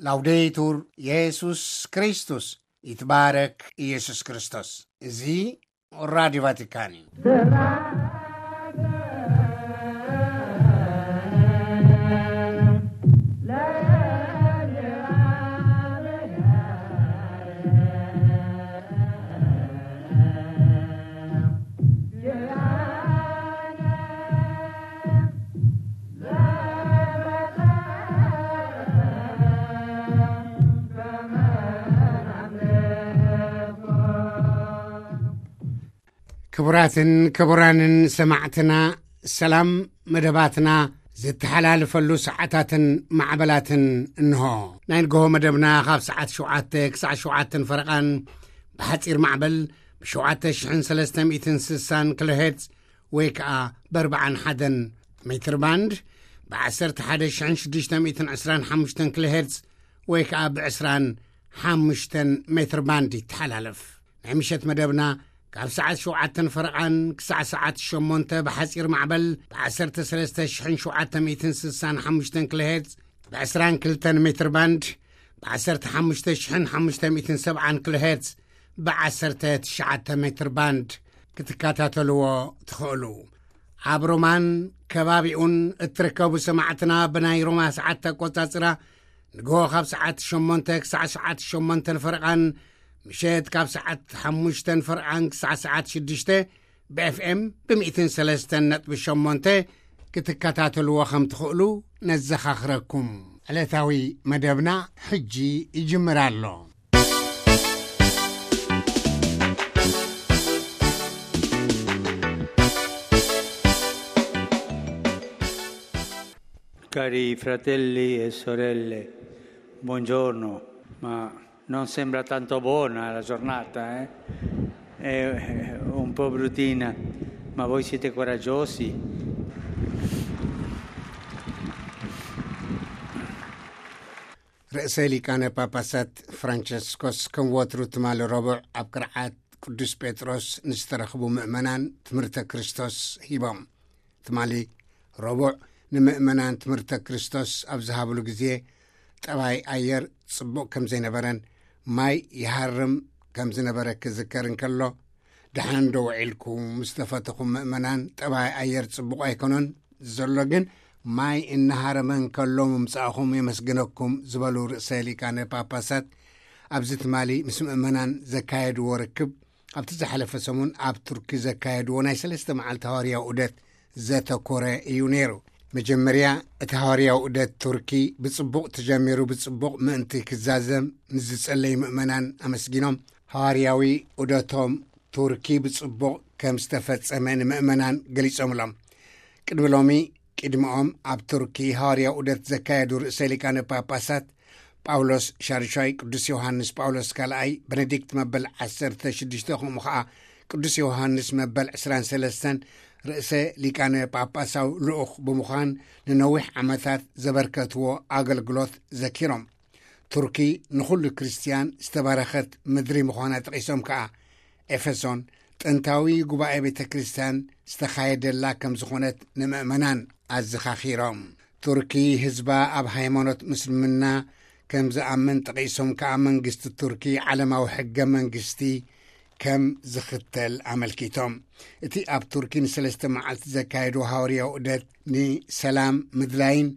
ላውዴቱር የሱስ ክርስቶስ፣ ይትባረክ ኢየሱስ ክርስቶስ። እዚ ራዲዮ ቫቲካን እዩ። ክቡራትን ክቡራንን ሰማዕትና፣ ሰላም። መደባትና ዝተሓላልፈሉ ሰዓታትን ማዕበላትን እንሆ። ናይ ንግሆ መደብና ካብ ሰዓት ሸውዓተ ክሳዕ ሸውዓተን ፈረቓን ብሓጺር ማዕበል ብ ሸውዓተ ሽሕን ሰለስተ ሚእትን ስሳን ኪሎ ሄርትዝ ወይ ከኣ ብ ኣርባዓን ሓደን ሜትር ባንድ፣ ብ ዓሰርተ ሓደ ሽሕን ሽዱሽተ ሚእትን ዕስራን ሓሙሽተን ኪሎ ሄርትዝ ወይ ከኣ ብ ዕስራን ሓሙሽተን ሜትር ባንድ ይተሓላለፍ። ናይ ምሸት መደብና ካብ ሰዓት ሸውዓተን ፈረቓን ክሳዕ ሰዓት ሸሞንተ ብሓጺር ማዕበል ብ ዓሰርተ ሰለስተ ሽሕን ሸውዓተ ሚእትን ስሳን ሓሙሽተን ኪሎ ሄርትዝ፣ ብ ዕስራን ክልተን ሜትር ባንድ ብ ዓሰርተ ሓሙሽተ ሽሕን ሓሙሽተ ሚእትን ሰብዓን ኪሎ ሄርትዝ፣ ብ ዓሰርተ ትሽዓተ ሜትር ባንድ ክትከታተልዎ ትኽእሉ። ኣብ ሮማን ከባቢኡን እትርከቡ ሰማዕትና፣ ብናይ ሮማ ሰዓት ኣቆጻጽራ ንግሆ ካብ ሰዓት ሸሞንተ ክሳዕ ሰዓት ሸሞንተን ፈረቓን፣ ምሸት ካብ ሰዓት ሓሙሽተን ፈረቓን ክሳዕ ሰዓት ሽዱሽተ ብ ኤፍ ኤም ብ ሚእትን ሰለስተን ነጥቢ ሸሞንተ ክትከታተልዎ ከም ትኽእሉ ነዘኻኽረኩም። ዕለታዊ መደብና ሕጂ ይጅምር ኣሎ። Cari fratelli e sorelle, buongiorno. Ma non sembra tanto buona la giornata, eh? È un po' bruttina, ma voi siete coraggiosi. ርእሰ ሊቃነ ጳጳሳት ፍራንቸስኮስ ከም ወትሩ ትማሊ ረቡዕ ኣብ ቅርዓት ቅዱስ ጴጥሮስ ንዝተረኽቡ ምእመናን ትምህርተ ክርስቶስ ሂቦም። ትማሊ ረቡዕ ንምእመናን ትምህርተ ክርስቶስ ኣብ ዝሃብሉ ግዜ፣ ጠባይ ኣየር ጽቡቕ ከም ዘይነበረን ማይ ይሃርም ከም ዝነበረ ክዝከር እንከሎ፣ ደሓን ዶ ውዒልኩም ዝተፈተኹም ምእመናን፣ ጠባይ ኣየር ጽቡቕ ኣይኮነን ዘሎ፣ ግን ማይ እናሃረመ እንከሎ ምምጻእኹም የመስግነኩም ዝበሉ ርእሰ ሊቃነ ጳጳሳት፣ ኣብዚ ትማሊ ምስ ምእመናን ዘካየድዎ ርክብ፣ ኣብቲ ዝሓለፈ ሰሙን ኣብ ቱርኪ ዘካየድዎ ናይ ሰለስተ መዓልቲ ሃዋርያዊ ዑደት ዘተኮረ እዩ ነይሩ። መጀመርያ እቲ ሃዋርያዊ ዑደት ቱርኪ ብጽቡቕ ተጀሚሩ ብጽቡቕ ምእንቲ ክዛዘም ንዝጸለዩ ምእመናን ኣመስጊኖም፣ ሃዋርያዊ ዑደቶም ቱርኪ ብጽቡቕ ከም ዝተፈጸመ ንምእመናን ገሊጾምሎም። ቅድሚ ሎሚ፣ ቅድሚኦም ኣብ ቱርኪ ሃዋርያዊ ዑደት ዘካየዱ ርእሰ ሊቃነ ጳጳሳት ጳውሎስ ሻርሻይ፣ ቅዱስ ዮሃንስ ጳውሎስ ካልኣይ፣ በነዲክት መበል ዓሰርተ ሽዱሽተ፣ ከምኡ ኸዓ ቅዱስ ዮሃንስ መበል ዕስራን ሰለስተን ርእሰ ሊቃነ ጳጳሳዊ ልኡኽ ብምዃን ንነዊሕ ዓመታት ዘበርከትዎ ኣገልግሎት ዘኪሮም፣ ቱርኪ ንኹሉ ክርስትያን ዝተባረኸት ምድሪ ምዃና ጠቒሶም ከኣ፣ ኤፌሶን ጥንታዊ ጉባኤ ቤተ ክርስትያን ዝተኻየደላ ከም ዝኾነት ንምእመናን ኣዘኻኺሮም። ቱርኪ ህዝባ ኣብ ሃይማኖት ምስልምና ከም ዝኣምን ጠቒሶም ከኣ፣ መንግስቲ ቱርኪ ዓለማዊ ሕገ መንግስቲ ከም ዝኽተል ኣመልኪቶም። እቲ ኣብ ቱርኪ ንሰለስተ መዓልቲ ዘካየዱ ሃዋርያዊ ዑደት ንሰላም ምድላይን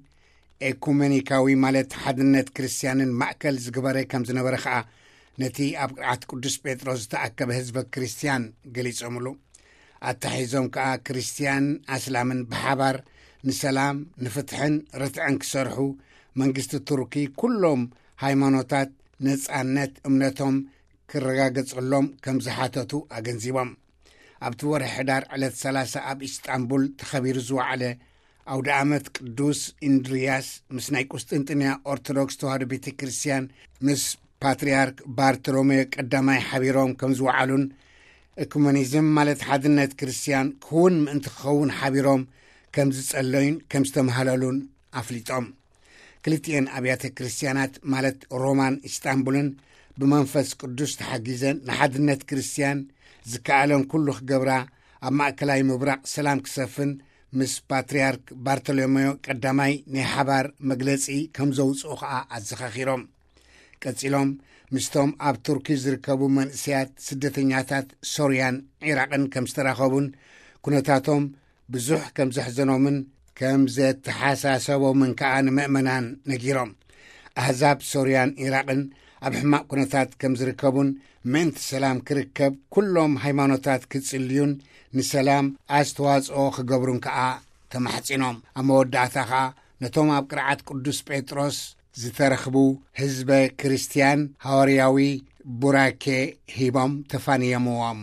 ኤኩመኒካዊ ማለት ሓድነት ክርስትያንን ማእከል ዝግበረ ከም ዝነበረ ከኣ ነቲ ኣብ ቅርዓት ቅዱስ ጴጥሮስ ዝተኣከበ ህዝበ ክርስትያን ገሊጾምሉ። ኣተሓሒዞም ከኣ ክርስትያን ኣስላምን ብሓባር ንሰላም፣ ንፍትሕን ርትዕን ክሰርሑ መንግስቲ ቱርኪ ኩሎም ሃይማኖታት ነጻነት እምነቶም ክረጋገጸሎም ከም ዝሓተቱ ኣገንዚቦም። ኣብቲ ወርሒ ሕዳር ዕለት ሰላሳ ኣብ ኢስጣንቡል ተኸቢሩ ዝወዓለ ኣውደ ኣመት ቅዱስ ኢንድርያስ ምስ ናይ ቁስጥንጥንያ ኦርቶዶክስ ተዋህዶ ቤተ ክርስትያን ምስ ፓትርያርክ ባርቶሎሜዮ ቀዳማይ ሓቢሮም ከም ዝወዓሉን፣ እኩመኒዝም ማለት ሓድነት ክርስትያን ክውን ምእንቲ ክኸውን ሓቢሮም ከም ዝጸለዩን ከም ዝተምሃለሉን ኣፍሊጦም። ክልቲኤን ኣብያተ ክርስትያናት ማለት ሮማን ኢስጣንቡልን ብመንፈስ ቅዱስ ተሓጊዘን ንሓድነት ክርስትያን ዝከኣለን ኩሉ ክገብራ፣ ኣብ ማእከላይ ምብራቕ ሰላም ክሰፍን ምስ ፓትርያርክ ባርቶሎሜዮ ቀዳማይ ናይ ሓባር መግለጺ ከም ዘውጽኡ ከኣ ኣዘኻኺሮም። ቀጺሎም፣ ምስቶም ኣብ ቱርኪ ዝርከቡ መንእሰያት ስደተኛታት ሶርያን ዒራቕን ከም ዝተራኸቡን፣ ኩነታቶም ብዙሕ ከም ዘሕዘኖምን ከም ዘተሓሳሰቦምን ከኣ ንምእመናን ነጊሮም። ኣህዛብ ሶርያን ዒራቕን ኣብ ሕማቕ ኩነታት ከም ዝርከቡን፣ ምእንቲ ሰላም ክርከብ ኩሎም ሃይማኖታት ክጽልዩን ንሰላም ኣስተዋጽኦ ክገብሩን ከኣ ተማሕጺኖም። ኣብ መወዳእታ ከኣ ነቶም ኣብ ቅርዓት ቅዱስ ጴጥሮስ ዝተረኽቡ ህዝበ ክርስትያን ሃዋርያዊ ቡራኬ ሂቦም ተፋንየምዎም።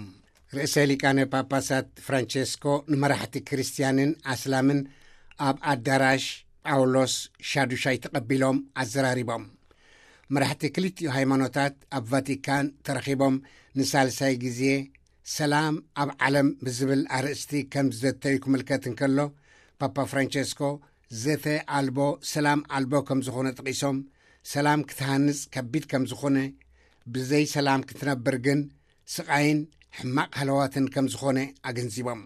ርእሰ ሊቃነ ጳጳሳት ፍራንቸስኮ ንመራሕቲ ክርስትያንን ኣስላምን ኣብ ኣዳራሽ ጳውሎስ ሻዱሻይ ተቐቢሎም ኣዘራሪቦም። መራሕቲ ክልቲኡ ሃይማኖታት ኣብ ቫቲካን ተረኺቦም ንሳልሳይ ግዜ ሰላም ኣብ ዓለም ብዝብል ኣርእስቲ ከም ዝዘተዩ ክምልከት እንከሎ፣ ፓፓ ፍራንቸስኮ ዘተ ኣልቦ ሰላም ኣልቦ ከም ዝኾነ ጠቒሶም፣ ሰላም ክትሃንጽ ከቢድ ከም ዝኾነ፣ ብዘይ ሰላም ክትነብር ግን ስቓይን ሕማቕ ሃለዋትን ከም ዝኾነ ኣገንዚቦም።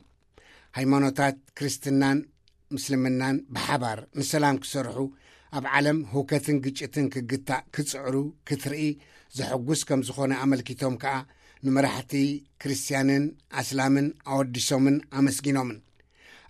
ሃይማኖታት ክርስትናን ምስልምናን ብሓባር ንሰላም ክሰርሑ፣ ኣብ ዓለም ህውከትን ግጭትን ክግታእ ክጽዕሩ ክትርኢ ዘሐጉስ ከም ዝኾነ ኣመልኪቶም ከኣ፣ ንመራሕቲ ክርስትያንን ኣስላምን ኣወዲሶምን ኣመስጊኖምን።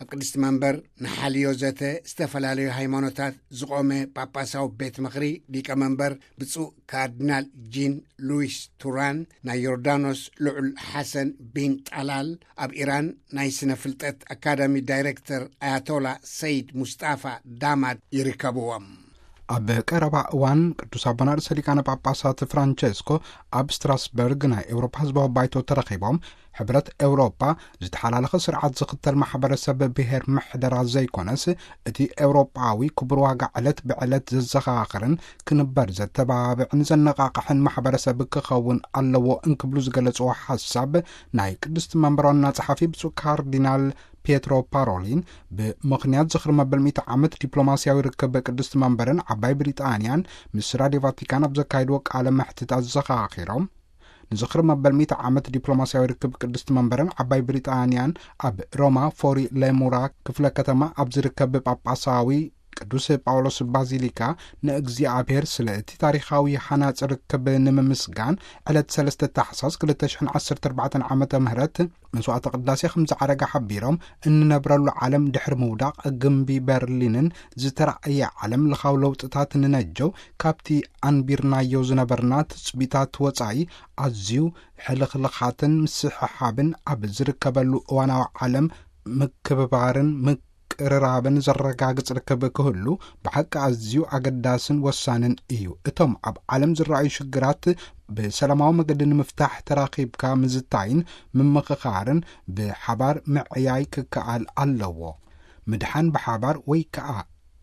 ኣብ ቅድስቲ መንበር ንሓልዮ ዘተ ዝተፈላለዩ ሃይማኖታት ዝቖመ ጳጳሳዊ ቤት ምኽሪ ሊቀ መንበር ብፁዕ ካርዲናል ጂን ሉዊስ ቱራን፣ ናይ ዮርዳኖስ ልዑል ሓሰን ቢን ጣላል፣ ኣብ ኢራን ናይ ስነ ፍልጠት ኣካዳሚ ዳይሬክተር ኣያቶላ ሰይድ ሙስጣፋ ዳማድ ይርከብዎም። ኣብ ቀረባ እዋን ቅዱስ ኣቦና ርእሰ ሊቃነ ጳጳሳት ፍራንቸስኮ ኣብ ስትራስበርግ ናይ ኤውሮፓ ህዝባዊ ባይቶ ተረኺቦም፣ ሕብረት ኤውሮፓ ዝተሓላለኸ ስርዓት ዝኽተል ማሕበረሰብ ብሄር ምሕደራ ዘይኮነስ፣ እቲ ኤውሮጳዊ ክቡር ዋጋ ዕለት ብዕለት ዘዘኻኽርን ክንበር ዘተባብዕን ዘነቓቕሕን ማሕበረሰብ ክኸውን ኣለዎ እንክብሉ ዝገለጽዎ ሓሳብ፣ ናይ ቅድስቲ መንበር ዋና ጸሓፊ ብፁዕ ካርዲናል ፒየትሮ ፓሮሊን፣ ብምኽንያት ዝኽሪ መበል ሚእቲ ዓመት ዲፕሎማስያዊ ርክብ ቅድስቲ መንበርን ዓባይ ብሪጣንያን ምስ ራድዮ ቫቲካን ኣብ ዘካየድዎ ቃለ መሕትት ኣዘኻኺሮም፣ ንዝኽሪ መበል ሚእቲ ዓመት ዲፕሎማስያዊ ርክብ ቅድስቲ መንበርን ዓባይ ብሪጣንያን ኣብ ሮማ ፎሪ ሌሙራ ክፍለ ከተማ ኣብ ዝርከብ ጳጳሳዊ ቅዱስ ጳውሎስ ባዚሊካ ንእግዚኣብሔር ስለ እቲ ታሪኻዊ ሃናጺ ርክብ ንምምስጋን፣ ዕለት ሰለስተ ታሕሳስ ክልተ ሽሕን ዓሰርተ ኣርባዕተን ዓመተ ምህረት መስዋዕተ ቅዳሴ ከም ዝዓረገ ሓቢሮም፣ እንነብረሉ ዓለም ድሕሪ ምውዳቕ ግምቢ በርሊንን ዝተራእየ ዓለም ለኻዊ ለውጥታት ንነጀው፣ ካብቲ ኣንቢርናዮ ዝነበርና ትጽቢታት ወጻኢ ኣዝዩ ሕልኽልኻትን ምስሕሓብን ኣብ ዝርከበሉ እዋናዊ ዓለም፣ ምክብባርን ምቅርራብን ዘረጋግጽ ርክብ ክህሉ ብሓቂ ኣዝዩ ኣገዳስን ወሳንን እዩ። እቶም ኣብ ዓለም ዝረኣዩ ሽግራት ብሰላማዊ መገዲ ንምፍታሕ ተራኺብካ ምዝታይን ምምኽኻርን ብሓባር ምዕያይ ክከኣል ኣለዎ። ምድሓን ብሓባር ወይ ከኣ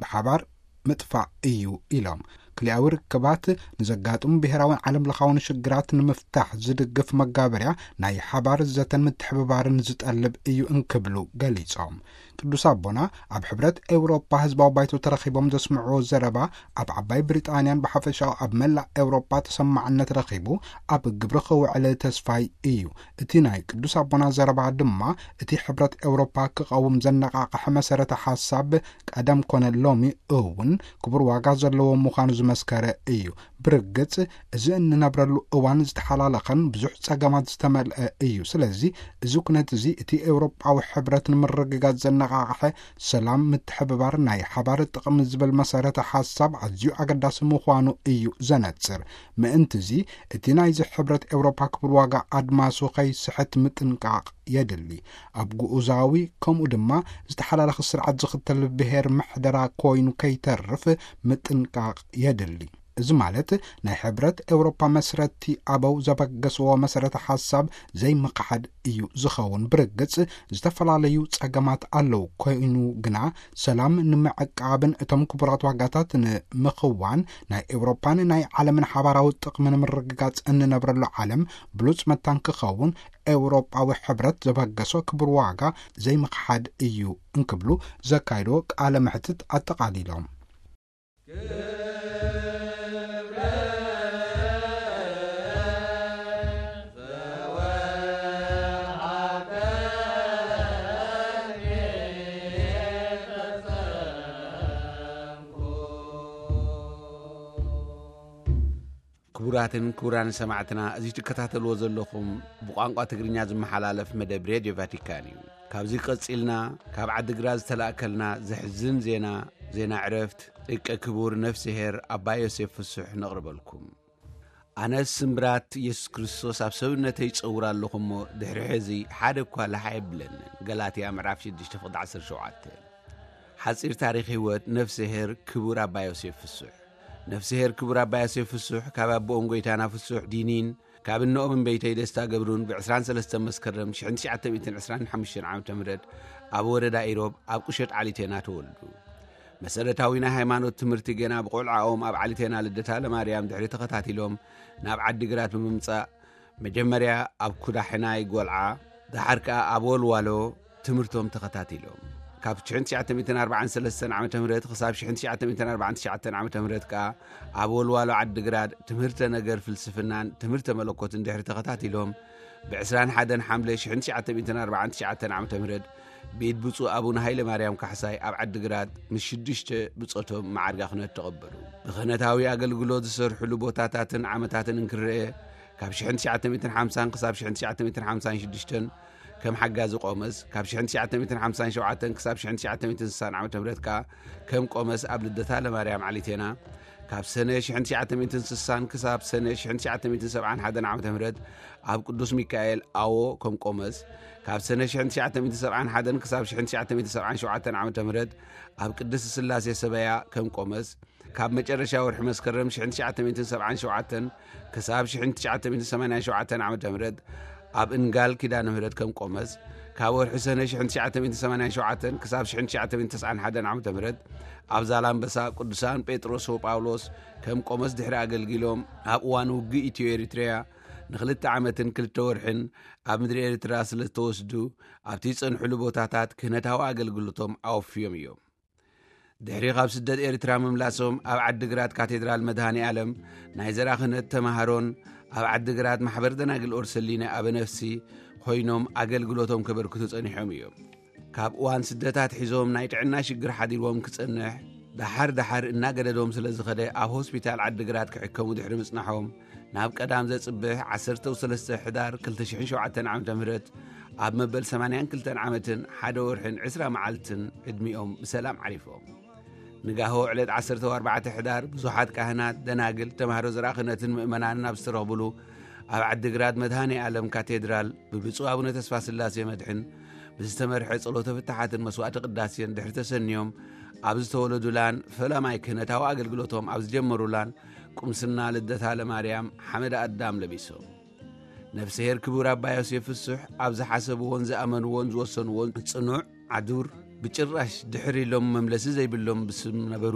ብሓባር ምጥፋእ እዩ ኢሎም። ክልያዊ ርክባት ንዘጋጥሙ ብሄራውን ዓለም ለኻውን ሽግራት ንምፍታሕ ዝድግፍ መጋበርያ ናይ ሓባር ዘተን ምትሕብባርን ዝጠልብ እዩ እንክብሉ ገሊጾም። ቅዱስ ኣቦና ኣብ ሕብረት ኤውሮጳ ህዝባዊ ባይቶ ተረኺቦም ዘስምዕዎ ዘረባ፣ ኣብ ዓባይ ብሪጣንያን ብሓፈሻኡ ኣብ መላእ ኤውሮጳ ተሰማዕነት ረኺቡ ኣብ ግብሪ ክውዕል ተስፋይ እዩ። እቲ ናይ ቅዱስ ኣቦና ዘረባ ድማ እቲ ሕብረት ኤውሮጳ ክቐውም ዘነቓቕሐ መሰረተ ሓሳብ ቀደም ኮነ ሎሚ እውን ክቡር ዋጋ ዘለዎ ምዃኑ ዝመስከረ እዩ። ብርግጽ፣ እዚ እንነብረሉ እዋን ዝተሓላለኸን ብዙሕ ጸገማት ዝተመልአ እዩ። ስለዚ፣ እዚ ኩነት እዚ እቲ ኤውሮጳዊ ሕብረት ንምርግጋጽ ዘነቓቕሐ ሰላም፣ ምትሕብባር፣ ናይ ሓባር ጥቕሚ ዝብል መሰረተ ሓሳብ ኣዝዩ ኣገዳሲ ምዃኑ እዩ ዘነጽር። ምእንትዚ፣ እቲ ናይዚ ሕብረት ኤውሮጳ ክቡር ዋጋ ኣድማሱ ከይስሕት ምጥንቃቕ የድሊ። ኣብ ግኡዛዊ ከምኡ ድማ ዝተሓላለኸ ስርዓት ዝኽተል ብሄር ምሕደራ ኮይኑ ከይተርፍ ምጥንቃቕ የድሊ። እዚ ማለት ናይ ሕብረት ኤውሮፓ መስረቲ ኣበው ዘበገስዎ መሰረተ ሓሳብ ዘይምኽሓድ እዩ ዝኸውን። ብርግጽ ዝተፈላለዩ ጸገማት ኣለዉ። ኮይኑ ግና ሰላም ንምዕቃብን እቶም ክቡራት ዋጋታት ንምኽዋን ናይ ኤውሮፓን ናይ ዓለምን ሓባራዊ ጥቕሚ ንምርግጋጽ እንነብረሉ ዓለም ብሉጽ መታን ክኸውን ኤውሮጳዊ ሕብረት ዘበገሶ ክቡር ዋጋ ዘይምኽሓድ እዩ እንክብሉ ዘካይዶ ቃለ መሕትት ኣጠቓሊሎም። ክቡራትን ክቡራን ሰማዕትና፣ እዚ ትከታተልዎ ዘለኹም ብቋንቋ ትግርኛ ዝመሓላለፍ መደብ ሬድዮ ቫቲካን እዩ። ካብዚ ቀጺልና ካብ ዓዲግራት ዝተላእከልና ዘሕዝን ዜና፣ ዜና ዕረፍት ደቀ ክቡር ነፍስሄር ኣባ ዮሴፍ ፍሱሕ ነቕርበልኩም። ኣነስ ስምብራት የሱስ ክርስቶስ ኣብ ሰብነተይ ይጸውር ኣለኹ እሞ፣ ድሕሪ ሕዚ ሓደ እኳ ላሕ ኣይብለንን። ገላትያ ምዕራፍ ሽዱሽተ ፍቕዲ ዓሰርተ ሸውዓተ። ሓጺር ታሪኽ ህይወት ነፍስሄር ክቡር ኣባ ዮሴፍ ፍሱሕ። ነፍስሄር ክቡር ኣባ ዮሴፍ ፍሱሕ ካብ ኣቦኦም ጎይታና ፍሱሕ ዲኒን ካብ እነኦም እምበይተይ ደስታ ገብሩን ብ ዕስራን ሰለስተን መስከረም ሽሕን ትሽዓተ ሚእትን ዕስራን ሓሙሽተን ዓመተ ምህረት ኣብ ወረዳ ኢሮብ ኣብ ቁሸት ዓሊቴና ተወልዱ። መሰረታዊ ናይ ሃይማኖት ትምህርቲ ገና ብቆልዓኦም ኣብ ዓሊቴና ልደታ ለማርያም ድሕሪ ተኸታቲሎም ናብ ዓዲግራት ብምምጻእ፣ መጀመርያ ኣብ ኩዳሕናይ ጎልዓ፣ ደሓር ከኣ ኣብ ወልዋሎ ትምህርቶም ተኸታቲሎም። ካብ ሽሕን ትሽዓተ ሚእትን ኣርባዓን ሰለስተን ዓመተ ምህረት ክሳብ ሽሕን ትሽዓተ ሚእትን ኣርባዓን ትሽዓተን ዓመተ ምህረት ከኣ ኣብ ወልዋሎ ዓዲግራት ትምህርተ ነገር ፍልስፍናን ትምህርተ መለኮትን ድሕሪ ተኸታቲሎም፣ ብ ዕስራን ሓደን ሓምለ ሽሕን ትሽዓተ ሚእትን ኣርባዓን ትሽዓተን ዓመተ ምህረት ብኢድ ብፁዕ ኣቡነ ሃይለ ማርያም ካሕሳይ ኣብ ዓዲግራት ምስ ሽዱሽተ ብጾቶም መዓርጋ ክህነት ተቐበሉ። ብክህነታዊ ኣገልግሎት ዝሰርሕሉ ቦታታትን ዓመታትን እንክርአ፣ ካብ ሽሕን ትሽዓተ ሚእትን ሓምሳን ክሳብ ሽሕን ትሽዓተ ሚእትን ሓምሳን ሽዱሽተን ከም ሓጋዚ ቆመስ፣ ካብ ሽሕን ትሽዓተ ሚእትን ሓምሳን ሸውዓተን ክሳብ ሽሕን ትሽዓተ ሚእትን ስሳን ዓመተ ምህረት ከኣ ከም ቆመስ ኣብ ልደታ ለማርያም ዓሊቴና፣ ካብ ሰነ ሽሕን ትሽዓተ ሚእትን ስሳን ክሳብ ሰነ ሽሕን ትሽዓተ ሚእትን ሰብዓን ሓደን ዓመተ ምህረት ኣብ ቅዱስ ሚካኤል ኣዎ ከም ቆመስ፣ ካብ ሰነ ሽሕን ትሽዓተ ሚእትን ሰብዓን ሓደን ክሳብ ሽሕን ትሽዓተ ሚእትን ሰብዓን ሸውዓተን ዓመተ ምህረት ኣብ ቅድስት ስላሴ ሰበያ ከም ቆመስ፣ ካብ መጨረሻ ወርሒ መስከረም ሽሕን ትሽዓተ ሚእትን ሰብዓን ሸውዓተን ክሳብ ሽሕን ትሽዓተ ሚእትን ሰማንያን ሸውዓተን ዓመተ ምህረት ኣብ እንጋል ኪዳነ ምህረት ከም ቆመስ፣ ካብ ወርሒ ሰነ ሽሕን ትሽዓተ ሚእትን ሰማንያን ሸውዓተን ክሳብ ሽሕን ትሽዓተ ሚእትን ተስዓን ሓደን ዓመተ ምህረት ኣብ ዛላምበሳ ቅዱሳን ጴጥሮስ ወጳውሎስ ከም ቆመስ ድሕሪ ኣገልጊሎም፣ ኣብ እዋን ውግእ ኢትዮ ኤሪትሪያ ንኽልተ ዓመትን ክልተ ወርሕን ኣብ ምድሪ ኤርትራ ስለ ዝተወስዱ፣ ኣብቲ ዝጸንሕሉ ቦታታት ክህነታዊ ኣገልግሎቶም ኣወፍዮም እዮም። ድሕሪ ካብ ስደት ኤርትራ ምምላሶም፣ ኣብ ዓዲግራት ካቴድራል መድሃኔ ዓለም ናይ ዘራ ክህነት ተማሃሮን ኣብ ዓዲግራት ማሕበር ደናግል ኦርሰሊነ ኣበ ነፍሲ ኮይኖም ኣገልግሎቶም ከበርክቱ ጸኒሖም እዮም። ካብ እዋን ስደት ኣትሒዞም ናይ ጥዕና ሽግር ሓዲርዎም ክጸንሕ፣ ደሓር ደሓር እናገደዶም ስለ ዝኸደ፣ ኣብ ሆስፒታል ዓዲግራት ክሕከሙ ድሕሪ ምጽናሖም፣ ናብ ቀዳም ዘጽብሕ ዓሰርተ ሰለስተ ሕዳር ክልተ ሽሕን ሸውዓተን ዓመተ ምህረት ኣብ መበል ሰማንያን ክልተን ዓመትን ሓደ ወርሕን ዕስራ መዓልትን ዕድሚኦም ብሰላም ዓሪፎም። ንጋሆ ዕለት ዓሰርተ ኣርባዕተ ሕዳር ብዙሓት ካህናት፣ ደናግል፣ ተማሃሮ ዘርኣ ክህነትን ምእመናንን ኣብ ዝተረኽብሉ፣ ኣብ ዓዲግራት መድሃኔ ዓለም ካቴድራል ብብፁዕ ኣቡነ ተስፋ ስላሴ መድሕን ብዝተመርሐ ጸሎተ ፍትሓትን መስዋዕተ ቅዳሴን ድሕሪ ተሰንዮም ኣብ ዝተወለዱላን ፈላማይ ክህነታዊ ኣገልግሎቶም ኣብ ዝጀመሩላን ቁምስና ልደታ ለማርያም ሓመድ ኣዳም ለቢሶም። ነፍስሄር ክቡር ኣባ ዮሴፍ ፍሱሕ ኣብ ዝሓሰብዎን ዝኣመንዎን ዝወሰንዎን ጽኑዕ ዓዱር፣ ብጭራሽ ድሕር ኢሎም መምለሲ ዘይብሎም ብስም ነበሩ።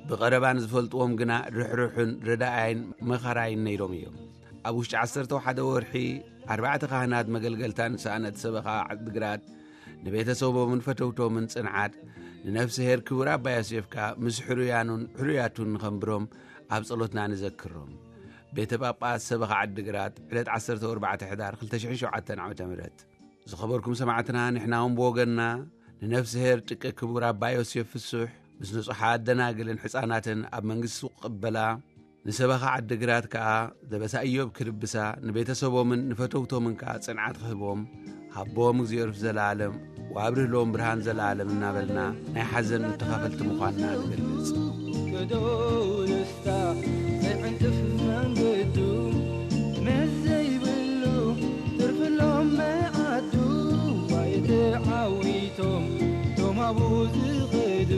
ብቐረባ ንዝፈልጥዎም ግና ርሕሩሕን ረዳኣይን መኻራይን ነይሮም እዮም። ኣብ ውሽጢ ዓሰርተ ሓደ ወርሒ፣ ኣርባዕተ ካህናት መገልገልታን ሰኣነት ሰበኻ ዓድግራት ንቤተሰቦምን ፈተውቶምን ጽንዓት፣ ንነፍስሄር ክቡር ኣባ ዮሴፍካ ምስ ሕሩያኑን ሕሩያቱን ንኸንብሮም ኣብ ጸሎትና ንዘክሮም። ቤተ ጳጳስ ሰበኻ ዓድግራት፣ ዕለት ዓሰርተ ኣርባዕተ ሕዳር ክልተ ሽሕን ሸውዓተን ዓመተ ምህረት። ዝኸበርኩም ሰማዕትና፣ ንሕና እውን ብወገንና ንነፍስሄር ጥቀ ክቡር ኣባ ዮሴፍ ፍሱሕ ምስ ንጹሓት ደናግልን ሕፃናትን ኣብ መንግስቱ ክቕበላ፣ ንሰበኻ ዓድግራት ከኣ ደበሳ ኢዮብ ክድብሳ፣ ንቤተሰቦምን ንፈተውቶምን ከኣ ጽንዓት ክህቦም፣ ሃቦም እግዚኣብሔር ዘለኣለም ወኣብርህ ሎም ብርሃን ዘለኣለም እናበልና ናይ ሓዘን ተኻፈልቲ ምዃንና ንገልጽ። ገደው ደስታ ዘይዕንቅፍ መንገዱ፣ መስ ዘይብሉ ትርፍሎም መዓዱ። ዋይ ተዓዊቶም ቶም ኣብኡ ዝኸዱ፣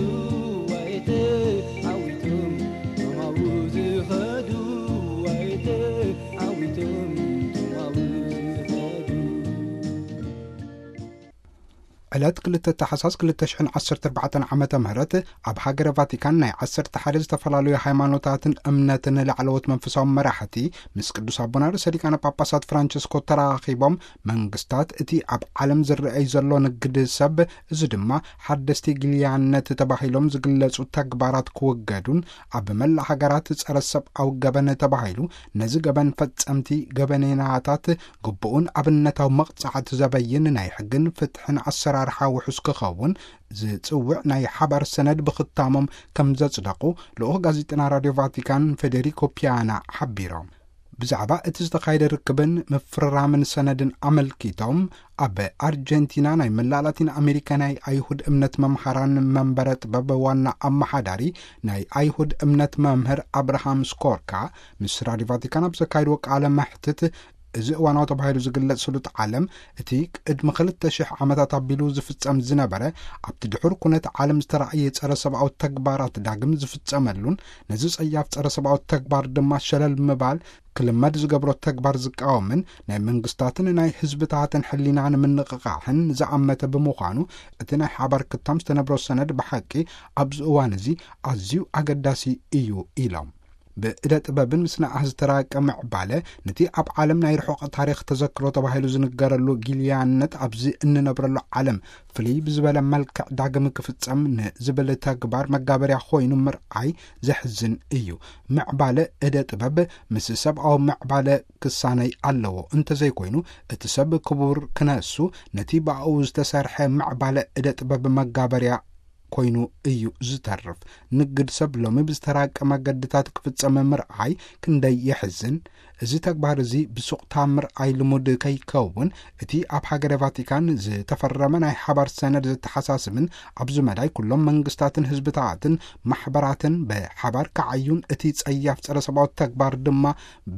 ዋይ ተዓዊቶም ቶም ኣብኡ ዝኸዱ፣ ዋይ ተዓዊቶም ቶም ኣብኡ ዝኸዱ። ዕለት ክልተ ታሕሳስ ክልተ ሽሕን ዓሰርተ ኣርባዕተን ዓመተ ምህረት ኣብ ሃገረ ቫቲካን ናይ ዓሰርተ ሓደ ዝተፈላለዩ ሃይማኖታትን እምነትን ላዕለዎት መንፈሳዊ መራሕቲ ምስ ቅዱስ ኣቦና ርእሰ ሊቃነ ጳጳሳት ፍራንቸስኮ ተራኺቦም፣ መንግስታት እቲ ኣብ ዓለም ዝረኣይ ዘሎ ንግድ ሰብ፣ እዚ ድማ ሓደስቲ ግልያነት ተባሂሎም ዝግለጹ ተግባራት ክውገዱን ኣብ መላእ ሃገራት ጸረ ሰብኣዊ ገበን ተባሂሉ ነዚ ገበን ፈጸምቲ ገበነኛታት ግቡኡን ኣብነታዊ መቕጻዕቲ ዘበይን ናይ ሕግን ፍትሕን ኣሰራርሓ ጥርሓ ውሑስ ክኸውን ዝጽውዕ ናይ ሓባር ሰነድ ብኽታሞም ከም ዘጽደቑ ልኡኽ ጋዜጠና ራድዮ ቫቲካን ፌዴሪኮ ፒያና ሓቢሮም። ብዛዕባ እቲ ዝተኻየደ ርክብን ምፍርራምን ሰነድን ኣመልኪቶም፣ ኣብ ኣርጀንቲና ናይ መላእ ላቲን ኣሜሪካ ናይ ኣይሁድ እምነት መምሃራን መንበረ ጥበብ ዋና ኣመሓዳሪ ናይ ኣይሁድ እምነት መምህር ኣብርሃም ስኮርካ ምስ ራድዮ ቫቲካን ኣብ ዘካየድዎ ቃለ መሕትት፣ እዚ እዋናዊ ተባሂሉ ዝግለጽ ስሉጥ ዓለም፣ እቲ ቅድሚ ክልተ ሽሕ ዓመታት ኣቢሉ ዝፍጸም ዝነበረ፣ ኣብቲ ድሑር ኩነት ዓለም ዝተራእየ ጸረ ሰብኣዊ ተግባራት ዳግም ዝፍጸመሉን፣ ነዚ ጸያፍ ጸረ ሰብኣዊ ተግባር ድማ ሸለል ምባል ክልመድ ዝገብሮ ተግባር ዝቃወምን ናይ መንግስታትን ናይ ህዝብታትን ሕሊና ንምንቕቓሕን ዝኣመተ ብምዃኑ፣ እቲ ናይ ሓባር ክታም ዝተነብሮ ሰነድ ብሓቂ ኣብዚ እዋን እዚ ኣዝዩ ኣገዳሲ እዩ ኢሎም። ብእደ ጥበብን ምስናዕ ዝተራቀ ምዕባለ፣ ነቲ ኣብ ዓለም ናይ ርሑቕ ታሪኽ ተዘክሮ ተባሂሉ ዝንገረሉ ጊልያነት ኣብዚ እንነብረሉ ዓለም ፍልይ ብዝበለ መልክዕ ዳግም ክፍጸም ንዝብል ተግባር መጋበርያ ኮይኑ ምርኣይ ዘሕዝን እዩ። ምዕባለ እደ ጥበብ ምስ ሰብኣዊ ምዕባለ ክሳነይ ኣለዎ። እንተዘይኮይኑ፣ እቲ ሰብ ክቡር ክነሱ ነቲ ብኣኡ ዝተሰርሐ ምዕባለ እደ ጥበብ መጋበርያ ኮይኑ እዩ ዝተርፍ። ንግድ ሰብ ሎሚ ብዝተራቀ መገድታት ክፍጸም ምርኣይ ክንደይ የሕዝን። እዚ ተግባር እዚ ብሱቕታ ምርኣይ ልሙድ ከይከውን፣ እቲ ኣብ ሃገረ ቫቲካን ዝተፈረመ ናይ ሓባር ሰነድ ዘተሓሳስብን ኣብዚ መዳይ ኩሎም መንግስታትን ህዝብታትን ማሕበራትን ብሓባር ክዓዩን እቲ ጸያፍ ጸረ ሰብኣዊ ተግባር ድማ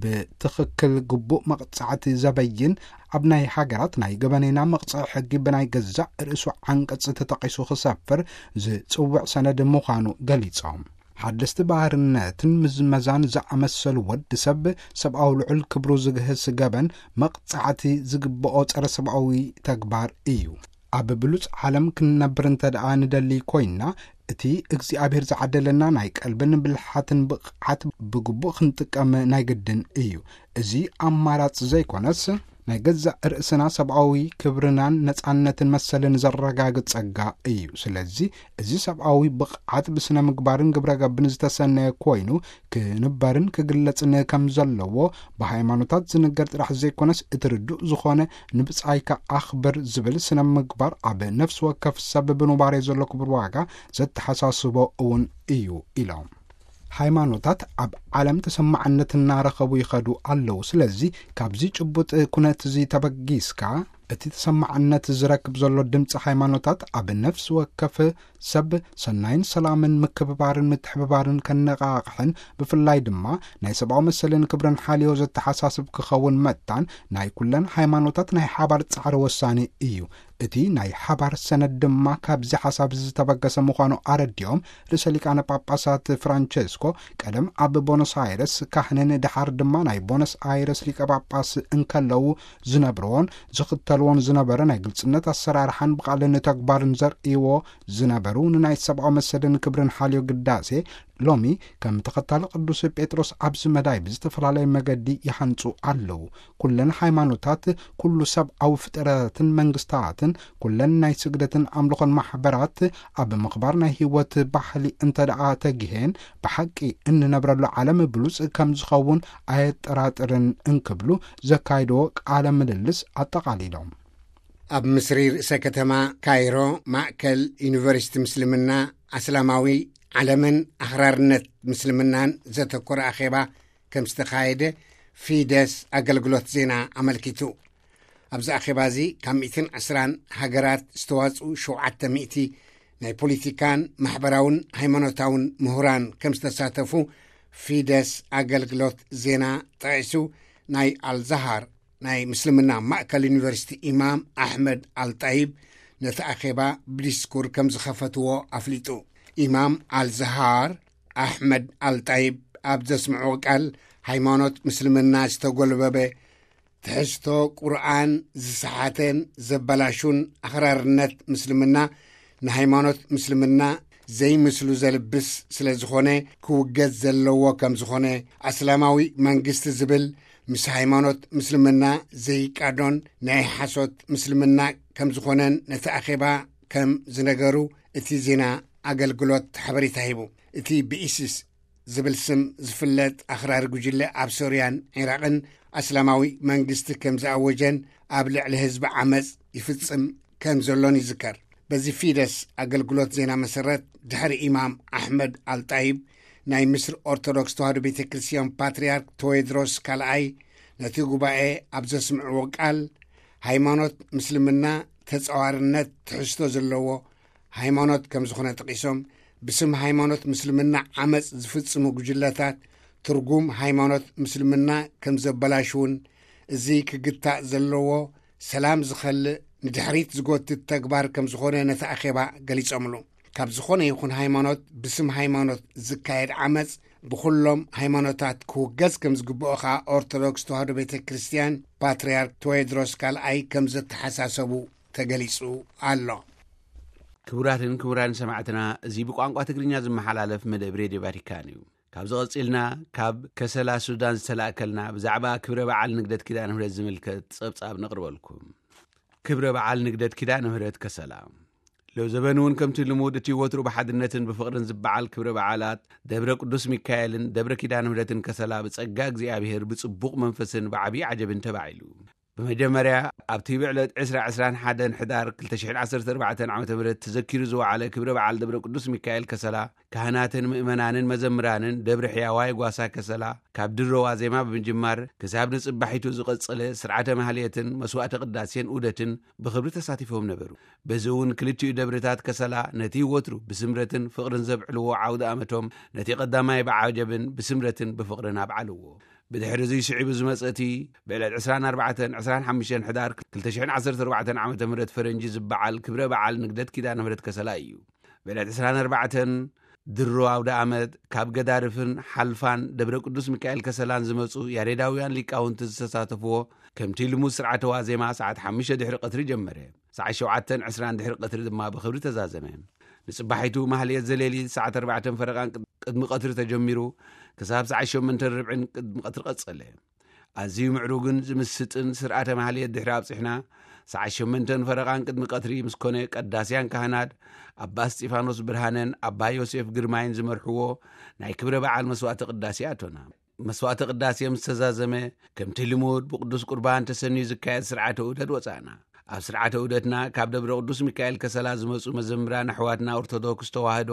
ብትኽክል ግቡእ መቕጻዕቲ ዘበይን፣ ኣብ ናይ ሃገራት ናይ ገበኔና መቕጽዒ ሕጊ ብናይ ገዛእ ርእሱ ዓንቀጽ ተጠቒሱ ክሰፍር ዝጽውዕ ሰነድ ምዃኑ ገሊጾም። ሓደስቲ ባርነትን ምዝመዛን ዝኣመሰሉ ወዲ ሰብ ሰብኣዊ ልዑል ክብሩ ዝግህስ ገበን መቕጻዕቲ ዝግብኦ ጸረ ሰብኣዊ ተግባር እዩ። ኣብ ብሉጽ ዓለም ክንነብር እንተ ደኣ ንደሊ ኮይንና፣ እቲ እግዚኣብሔር ዝዓደለና ናይ ቀልብን ብልሓትን ብቕዓት ብግቡእ ክንጥቀም ናይ ግድን እዩ። እዚ ኣማራጽ ዘይኮነስ፣ ናይ ገዛእ ርእስና ሰብኣዊ ክብርናን ነጻነትን መሰልን ዘረጋግጽ ጸጋ እዩ። ስለዚ፣ እዚ ሰብኣዊ ብቕዓት ብስነ ምግባርን ግብረ ገብን ዝተሰነየ ኮይኑ፣ ክንበርን ክግለጽን ከም ዘለዎ ብሃይማኖታት ዝንገር ጥራሕ ዘይኮነስ፣ እቲ ርዱእ ዝኾነ ንብጻይካ ኣኽብር ዝብል ስነ ምግባር ኣብ ነፍሲ ወከፍ ሰብ ብኑባሬ ዘሎ ክቡር ዋጋ ዘተሓሳስቦ እውን እዩ ኢሎም። ሃይማኖታት ኣብ ዓለም ተሰማዕነት እናረኸቡ ይኸዱ ኣለዉ። ስለዚ ካብዚ ጭቡጥ ኩነት እዚ ተበጊስካ፣ እቲ ተሰማዕነት ዝረክብ ዘሎ ድምፂ ሃይማኖታት ኣብ ነፍሲ ወከፍ ሰብ ሰናይን ሰላምን ምክብባርን ምትሕብባርን ከነቓቕሕን፣ ብፍላይ ድማ ናይ ሰብኣዊ መሰልን ክብርን ሓልዮ ዘተሓሳስብ ክኸውን መታን ናይ ኩለን ሃይማኖታት ናይ ሓባር ጻዕሪ ወሳኒ እዩ። እቲ ናይ ሓባር ሰነድ ድማ ካብዚ ሓሳብ ዝተበገሰ ምዃኑ ኣረዲኦም፣ ርእሰ ሊቃነ ጳጳሳት ፍራንቸስኮ ቀደም ኣብ ቦኖስ ኣይረስ ካህንን ድሓር ድማ ናይ ቦኖስ ኣይረስ ሊቀ ጳጳስ እንከለዉ ዝነብርዎን ዝኽተልዎን ዝነበረ ናይ ግልጽነት ኣሰራርሓን ብቓልን ተግባርን ዘርእይዎ ዝነበሩ፣ ንናይ ሰብኣዊ መሰልን ክብርን ሓልዮ ግዳሴ፣ ሎሚ ከም ተኸታሊ ቅዱስ ጴጥሮስ ኣብዚ መዳይ ብዝተፈላለየ መገዲ ይሃንጹ ኣለዉ። ኩለን ሃይማኖታት፣ ኩሉ ሰብኣዊ ፍጥረትን መንግስታትን፣ ኩለን ናይ ስግደትን ኣምልኾን ማሕበራት ኣብ ምኽባር ናይ ህይወት ባህሊ እንተ ደኣ ተጊሄን፣ ብሓቂ እንነብረሉ ዓለም ብሉጽ ከም ዝኸውን ኣየጠራጥርን እንክብሉ ዘካይድዎ ቃለ ምልልስ ኣጠቓሊሎም። ኣብ ምስሪ ርእሰ ከተማ ካይሮ፣ ማእከል ዩኒቨርሲቲ ምስልምና፣ ኣስላማዊ ዓለምን ኣኽራርነት ምስልምናን ዘተኮረ ኣኼባ ከም ዝተኻየደ ፊደስ ኣገልግሎት ዜና ኣመልኪቱ። ኣብዚ ኣኼባ እዚ ካብ ሚእትን ዕስራን ሃገራት ዝተዋጽኡ ሸውዓተ ሚእቲ ናይ ፖለቲካን ማሕበራውን ሃይማኖታውን ምሁራን ከም ዝተሳተፉ ፊደስ ኣገልግሎት ዜና ጠቒሱ፣ ናይ ኣልዛሃር ናይ ምስልምና ማእከል ዩኒቨርሲቲ ኢማም ኣሕመድ ኣልጣይብ ነቲ ኣኼባ ብዲስኩር ከም ዝኸፈትዎ ኣፍሊጡ። ኢማም ኣልዛሃር ኣሕመድ ኣልጣይብ ኣብ ዘስምዕዎ ቃል፣ ሃይማኖት ምስልምና ዝተጎልበበ፣ ትሕዝቶ ቁርኣን ዝሰሓተን ዘበላሹን ኣኽራርነት ምስልምና ንሃይማኖት ምስልምና ዘይምስሉ ዘልብስ ስለ ዝኾነ፣ ክውገዝ ዘለዎ ከም ዝኾነ፣ ኣስላማዊ መንግስቲ ዝብል ምስ ሃይማኖት ምስልምና ዘይቃዶን ናይ ሓሶት ምስልምና ከም ዝኾነን ነቲ ኣኼባ ከም ዝነገሩ እቲ ዜና ኣገልግሎት ሓበሬታ ሂቡ። እቲ ብኢሲስ ዝብል ስም ዝፍለጥ ኣኽራሪ ጉጅለ ኣብ ሶርያን ዒራቕን ኣስላማዊ መንግስቲ ከም ዝኣወጀን ኣብ ልዕሊ ህዝቢ ዓመጽ ይፍጽም ከም ዘሎን ይዝከር። በዚ ፊደስ ኣገልግሎት ዜና መሰረት፣ ድሕሪ ኢማም ኣሕመድ ኣልጣይብ፣ ናይ ምስር ኦርቶዶክስ ተዋህዶ ቤተ ክርስቲያን ፓትርያርክ ቴዎድሮስ ካልኣይ ነቲ ጉባኤ ኣብ ዘስምዕዎ ቃል፣ ሃይማኖት ምስልምና ተጻዋርነት ትሕዝቶ ዘለዎ ሃይማኖት ከም ዝኾነ ጠቒሶም፣ ብስም ሃይማኖት ምስልምና ዓመጽ ዝፍጽሙ ጉጅለታት ትርጉም ሃይማኖት ምስልምና ከም ዘበላሽውን፣ እዚ ክግታእ ዘለዎ ሰላም ዝኸልእ ንድሕሪት ዝጎትት ተግባር ከም ዝኾነ ነቲ ኣኼባ ገሊጾምሉ። ካብ ዝኾነ ይኹን ሃይማኖት ብስም ሃይማኖት ዝካየድ ዓመጽ ብኹሎም ሃይማኖታት ክውገዝ ከም ዝግብኦ ኸኣ ኦርቶዶክስ ተዋህዶ ቤተ ክርስቲያን ፓትርያርክ ቴዎድሮስ ካልኣይ ከም ዘተሓሳሰቡ ተገሊጹ ኣሎ። ክቡራትን ክቡራን ሰማዕትና፣ እዚ ብቋንቋ ትግርኛ ዝመሓላለፍ መደብ ሬድዮ ቫቲካን እዩ። ካብዚ ቀጺልና ካብ ከሰላ ሱዳን ዝተላእከልና ብዛዕባ ክብረ በዓል ንግደት ኪዳነ ምሕረት ዝምልከት ጸብጻብ ነቕርበልኩም። ክብረ በዓል ንግደት ኪዳነ ምሕረት ከሰላ። ሎዘበን እውን ከምቲ ልሙድ እቲ ወትሩ ብሓድነትን ብፍቕርን ዝበዓል ክብረ በዓላት ደብረ ቅዱስ ሚካኤልን ደብረ ኪዳነ ምሕረትን ከሰላ ብጸጋ እግዚኣብሔር ብጽቡቕ መንፈስን ብዓብዪ ዓጀብን ተባዒሉ። ብመጀመርያ ኣብቲ ብዕለት ዕስራ ዕስራን ሓደን ሕዳር ክልተ ሽሕን ዓሰርተ ኣርባዕተን ዓመተ ምህረት ተዘኪሩ ዝወዓለ ክብረ በዓል ደብረ ቅዱስ ሚካኤል ከሰላ፣ ካህናትን ምእመናንን መዘምራንን ደብረ ሕያዋይ ጓሳ ከሰላ ካብ ድሮ ዋዜማ ብምጅማር ክሳብ ንጽባሒቱ ዝቐጸለ ስርዓተ ማህሌትን መስዋዕተ ቅዳሴን ዑደትን ብኽብሪ ተሳቲፎም ነበሩ። በዚ እውን ክልቲኡ ደብርታት ከሰላ ነቲ ወትሩ ብስምረትን ፍቕርን ዘብዕልዎ ዓውደ ኣመቶም ነቲ ቀዳማይ ብዓጀብን ብስምረትን ብፍቕርን ኣብዓልዎ። ብድሕሪ እዚ ስዒቡ ዝመጸ እቲ ብዕለት ዕስራን ኣርባዕተን ዕስራን ሓሙሽተን ሕዳር ክልተ ሽሕን ዓሰርተ ኣርባዕተን ዓመተ ምህረት ፈረንጂ ዝበዓል ክብረ በዓል ንግደት ኪዳነ ምህረት ከሰላ እዩ። ብዕለት ዕስራን ኣርባዕተን ድሮ ኣውደ ኣመት ካብ ገዳርፍን ሓልፋን ደብረ ቅዱስ ሚካኤል ከሰላን ዝመጹ ያሬዳውያን ሊቃውንቲ ዝተሳተፍዎ፣ ከምቲ ልሙድ ስርዓተ ዋዜማ ሰዓት ሓሙሽተ ድሕሪ ቀትሪ ጀመረ። ሰዓት ሸውዓተን ዕስራን ድሕሪ ቀትሪ ድማ ብኽብሪ ተዛዘመ። ንጽባሒቱ ማህሌት ዘሌሊት ሰዓት ኣርባዕተን ፈረቓን ቅድ-፣ ቅድሚ ቀትሪ ተጀሚሩ ክሳብ ሰዓት ሸሞንተን ርብዕን ቅድሚ ቀትሪ ቀጸለ። ኣዝዩ ምዕሩግን ዝምስጥን ስርዓተ ማህሌት ድሕሪ ኣብጺሕና፣ ሰዓት ሸሞንተን ፈረቓን ቅድሚ ቀትሪ ምስ ኮነ፣ ቀዳስያን ካህናት ኣባ እስጢፋኖስ ብርሃነን ኣባ ዮሴፍ ግርማይን ዝመርሕዎ ናይ ክብረ በዓል መስዋዕተ ቅዳሴ ኣቶና። መስዋዕተ ቅዳሴ ምስ ተዛዘመ፣ ከምቲ ልሙድ ብቅዱስ ቁርባን ተሰንዩ ዝካየድ ስርዓተ ዑደት ወጻእና። ኣብ ስርዓተ ዑደትና ካብ ደብረ ቅዱስ ሚካኤል ከሰላ ዝመጹ መዘምራን ኣሕዋትና ኦርቶዶክስ ተዋህዶ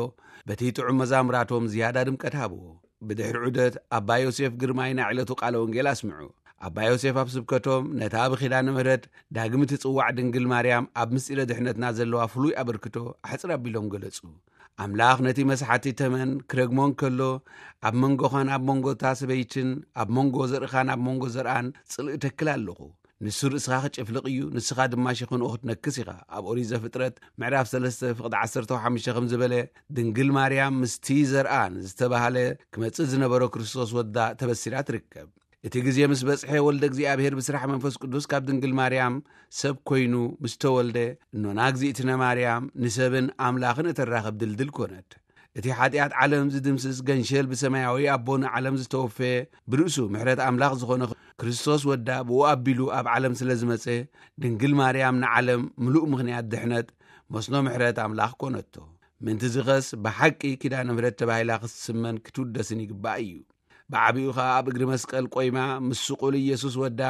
በቲ ጥዑም መዛሙራቶም ዝያዳ ድምቀት ሃብዎ። ብድሕሪ ዑደት ኣባ ዮሴፍ ግርማይ ናይ ዕለቱ ቃለ ወንጌል ኣስምዑ። ኣባ ዮሴፍ ኣብ ስብከቶም ነታ ብኪዳነ ምሕረት ዳግም እትጽዋዕ ድንግል ማርያም ኣብ ምስጢረ ድሕነትና ዘለዋ ፍሉይ ኣበርክቶ ኣሕጽር ኣቢሎም ገለጹ። ኣምላኽ ነቲ መስሓቲ ተመን ክረግሞ እንከሎ፣ ኣብ መንጎኻን ኣብ መንጎ እታ ሰበይትን ኣብ መንጎ ዘርእኻን ኣብ መንጎ ዘርኣን ጽልኢ እተክል ኣለኹ። ንሱ ርእስኻ ክጭፍልቕ እዩ፣ ንስኻ ድማ ሸኽንኡ ክትነክስ ኢኻ። ኣብ ኦሪት ዘፍጥረት ምዕራፍ ሰለስተ ፍቕዲ ዓሰርተ ሓሙሽተ ከም ዝበለ፣ ድንግል ማርያም ምስቲ ዘርኣን ዝተባህለ ክመጽእ ዝነበሮ ክርስቶስ ወዳ ተበሲራ ትርከብ። እቲ ግዜ ምስ በጽሐ፣ ወልደ እግዚኣብሔር ብስራሕ መንፈስ ቅዱስ ካብ ድንግል ማርያም ሰብ ኮይኑ ምስ ተወልደ፣ እኖና እግዚኣብትነ ማርያም ንሰብን ኣምላኽን እተራኽብ ድልድል ኮነት። እቲ ሓጢኣት ዓለም ዝድምስስ ገንሸል ብሰማያዊ ኣቦ ንዓለም ዝተወፈየ ብርእሱ ምሕረት ኣምላኽ ዝኾነ ክርስቶስ ወዳ ብኡ ኣቢሉ ኣብ ዓለም ስለ ዝመጸ፣ ድንግል ማርያም ንዓለም ምሉእ ምኽንያት ድሕነት መስኖ ምሕረት ኣምላኽ ኮነቶ። ምእንቲ ዝኸስ ብሓቂ ኪዳነ ምሕረት ተባሂላ ክትስመን ክትውደስን ይግባእ እዩ። ብዓቢኡ ኸኣ ኣብ እግሪ መስቀል ቆይማ ምስ ስቑል ኢየሱስ ወዳ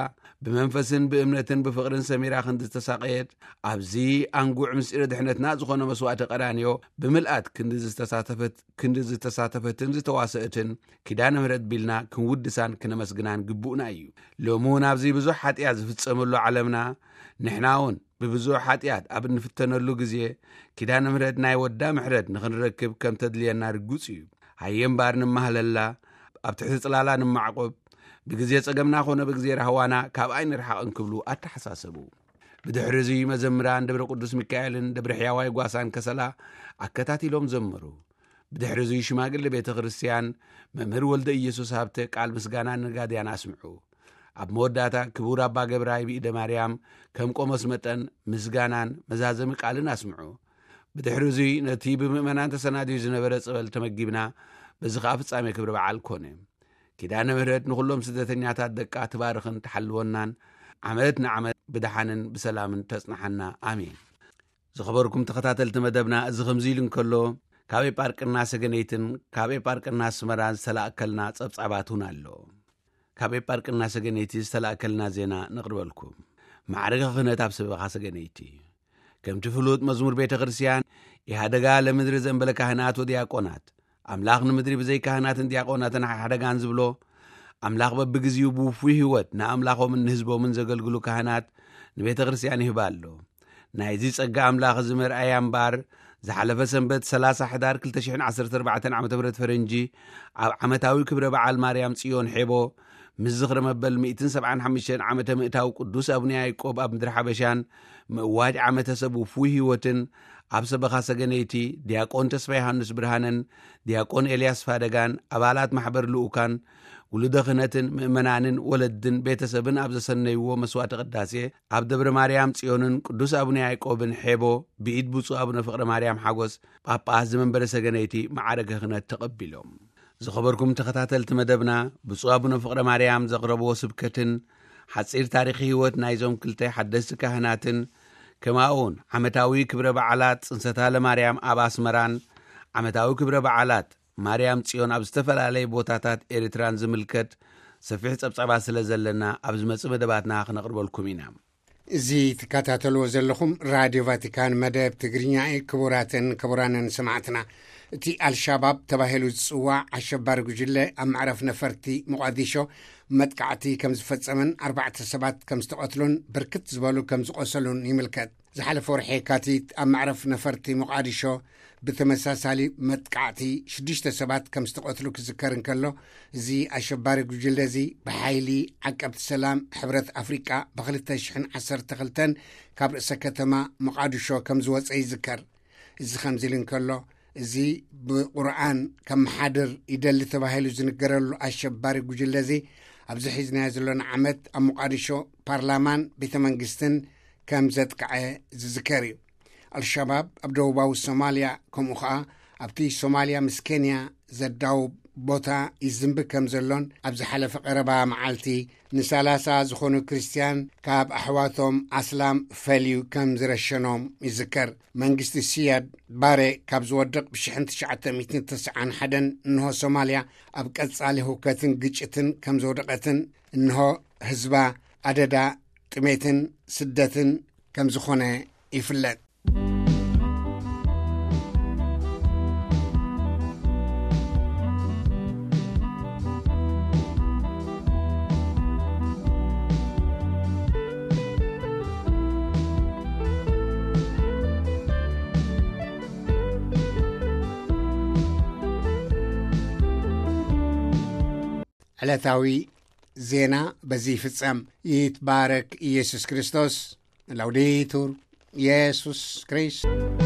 ብመንፈስን ብእምነትን ብፍቕርን ሰሚራ ክንዲ ዝተሳቐየት፣ ኣብዚ ኣንጉዕ ምስጢረ ድሕነትና ዝኾነ መስዋዕቲ ቀራንዮ ብምልኣት ክንዲ ዝተሳተፈት፣ ክንዲ ዝተሳተፈትን ዝተዋሰእትን ኪዳነ ምሕረት ቢልና ክንውድሳን ክነመስግናን ግቡእና እዩ። ሎሚ እውን ኣብዚ ብዙሕ ሓጢኣት ዝፍጸመሉ ዓለምና፣ ንሕና እውን ብብዙሕ ሓጢኣት ኣብ እንፍተነሉ ግዜ፣ ኪዳነ ምሕረት ናይ ወዳ ምሕረት ንኽንረክብ ከም ተድልየና ርጉጽ እዩ። ሃየ እምበኣር ንማህለላ፣ ኣብ ትሕቲ ጽላላ ንማዕቆብ፣ ብግዜ ጸገምና ኾነ ብግዜ ራህዋና ካብ ኣይንርሓቕ እንክብሉ ኣተሓሳሰቡ። ብድሕሪ እዚ መዘምራን ደብረ ቅዱስ ሚካኤልን ደብረ ሕያዋይ ጓሳን ከሰላ ኣከታቲሎም ዘመሩ። ብድሕሪ እዚ ሽማግሌ ቤተ ክርስቲያን መምህር ወልደ ኢየሱስ ሃብተ ቃል ምስጋና ንነጋድያን ኣስምዑ። ኣብ መወዳእታ ክቡር ኣባ ገብራይ ብኢደ ማርያም ከም ቆሞስ መጠን ምስጋናን መዛዘሚ ቃልን ኣስምዑ። ብድሕሪ እዚ ነቲ ብምእመናን ተሰናድዩ ዝነበረ ጸበል ተመጊብና፣ በዚ ኸኣ ፍጻሜ ክብሪ በዓል ኮነ። ኪዳነ ምሕረት ንኹሎም ስደተኛታት ደቃ ትባርኽን ትሓልወናን፣ ዓመት ንዓመት ብደሓንን ብሰላምን ተጽንሓና። ኣሜን። ዝኸበርኩም ተኸታተልቲ መደብና፣ እዚ ከምዚ ኢሉ እንከሎ፣ ካብ ኤጳርቅና ሰገነይትን ካብ ኤጳርቅና ኣስመራን ዝተላእከልና ጸብጻባት እውን ኣሎ። ካብ ኤጳርቅና ሰገነይቲ ዝተላእከልና ዜና ነቕርበልኩም። ማዕረገ ክህነት ኣብ ሰበኻ ሰገነይቲ። ከምቲ ፍሉጥ መዝሙር ቤተ ክርስቲያን፣ ኢሃደጋ ለምድሪ ዘንበለ ካህናት ወዲያቆናት፣ ኣምላኽ ንምድሪ ብዘይ ካህናትን ዲያቆናትን ሓደጋን ዝብሎ፣ ኣምላኽ በብግዜኡ ብውፉይ ህይወት ንኣምላኾምን ንህዝቦምን ዘገልግሉ ካህናት ንቤተ ክርስቲያን ይህባ ኣሎ። ናይዚ ጸጋ ኣምላኽ እዚ መርኣያ እምበኣር፣ ዝሓለፈ ሰንበት ሠላሳ ሕዳር ክልተ ሽሕን ዓሰርተ ኣርባዕተን ዓመተ ምህረት ፈረንጂ፣ ኣብ ዓመታዊ ክብረ በዓል ማርያም ጽዮን ሔቦ፣ ምስ ዝኽሪ መበል ሚእትን ሰብዓን ሓሙሽተን ዓመተ ምእታው ቅዱስ ኣቡነ ያዕቆብ ኣብ ምድሪ ሓበሻን፣ ምእዋጅ ዓመተ ሰብ ውፉይ ህይወትን፣ ኣብ ሰበኻ ሰገነይቲ ዲያቆን ተስፋ ዮሃንስ ብርሃነን ዲያቆን ኤልያስ ፋደጋን፣ ኣባላት ማሕበር ልኡካን፣ ውሉደ ክህነትን ምእመናንን ወለድን ቤተሰብን ኣብ ዘሰነይዎ መስዋዕተ ቅዳሴ፣ ኣብ ደብረ ማርያም ጽዮንን ቅዱስ ኣቡነ ያዕቆብን ሔቦ፣ ብኢድ ብፁዕ ኣቡነ ፍቕረ ማርያም ሓጎስ ጳጳስ ዘመንበረ ሰገነይቲ ማዕረገ ክህነት ተቐቢሎም። ዝኸበርኩም ተኸታተልቲ መደብና፣ ብፁዕ ኣቡነ ፍቕረ ማርያም ዘቕረብዎ ስብከትን ሓጺር ታሪኽ ህይወት ናይዞም ክልተ ሓደስቲ ካህናትን፣ ከማኡውን ዓመታዊ ክብረ በዓላት ጽንሰታ ለማርያም ኣብ ኣስመራን ዓመታዊ ክብረ በዓላት ማርያም ጽዮን ኣብ ዝተፈላለየ ቦታታት ኤርትራን ዝምልከት ሰፊሕ ጸብጻባት ስለ ዘለና፣ ኣብ ዝመጽእ መደባትና ክነቕርበልኩም ኢና። እዚ ትከታተልዎ ዘለኹም ራድዮ ቫቲካን መደብ ትግርኛ እዩ። ክቡራትን ክቡራንን ሰማዕትና፣ እቲ ኣልሻባብ ተባሂሉ ዝጽዋዕ ኣሸባሪ ጉጅለ ኣብ መዕረፍ ነፈርቲ ሞቓዲሾ መጥቃዕቲ ከም ዝፈጸመን ኣርባዕተ ሰባት ከም ዝተቐትሉን ብርክት ዝበሉ ከም ዝቖሰሉን ይምልከት። ዝሓለፈ ወርሒ የካቲት ኣብ መዕረፍ ነፈርቲ ሞቓዲሾ ብተመሳሳሊ መጥቃዕቲ ሽዱሽተ ሰባት ከም ዝተቐትሉ ክዝከር እንከሎ፣ እዚ ኣሸባሪ ጉጅለ እዚ ብሓይሊ ዓቀብቲ ሰላም ሕብረት ኣፍሪቃ ብ ክልተ ሽሕን ዓሰርተ ክልተን ካብ ርእሰ ከተማ ሞቓዲሾ ከም ዝወጸ ይዝከር። እዚ ከምዚ ኢሉ እንከሎ፣ እዚ ብቁርኣን ከመሓድር ይደሊ ተባሂሉ ዝንገረሉ ኣሸባሪ ጉጅለ እዚ፣ ኣብዚ ሒዝናዮ ዘሎና ዓመት ኣብ ሞቓዲሾ ፓርላማን ቤተ መንግስትን ከም ዘጥቅዐ ዝዝከር እዩ። ኣልሸባብ ኣብ ደቡባዊ ሶማልያ፣ ከምኡ ኸኣ ኣብቲ ሶማልያ ምስ ኬንያ ዘዳውብ ቦታ ይዝንቢ ከም ዘሎን፣ ኣብ ዝሓለፈ ቀረባ መዓልቲ ንሰላሳ ዝኾኑ ክርስትያን ካብ ኣሕዋቶም ኣስላም ፈልዩ ከም ዝረሸኖም ይዝከር። መንግስቲ ሲያድ ባሬ ካብ ዝወድቕ ብሽሕን ትሽዓተ ሚእትን ተስዓን ሓደን እንሆ ሶማልያ ኣብ ቀጻሊ ህውከትን ግጭትን ከም ዝወደቐትን፣ እንሆ ህዝባ ኣደዳ ጥሜትን ስደትን ከም ዝኾነ ይፍለጥ። ዕለታዊ ዜና በዚ ይፍጸም። ይትባረክ ኢየሱስ ክርስቶስ። ላውዴቱር ኢየሱስ ክርስቶስ።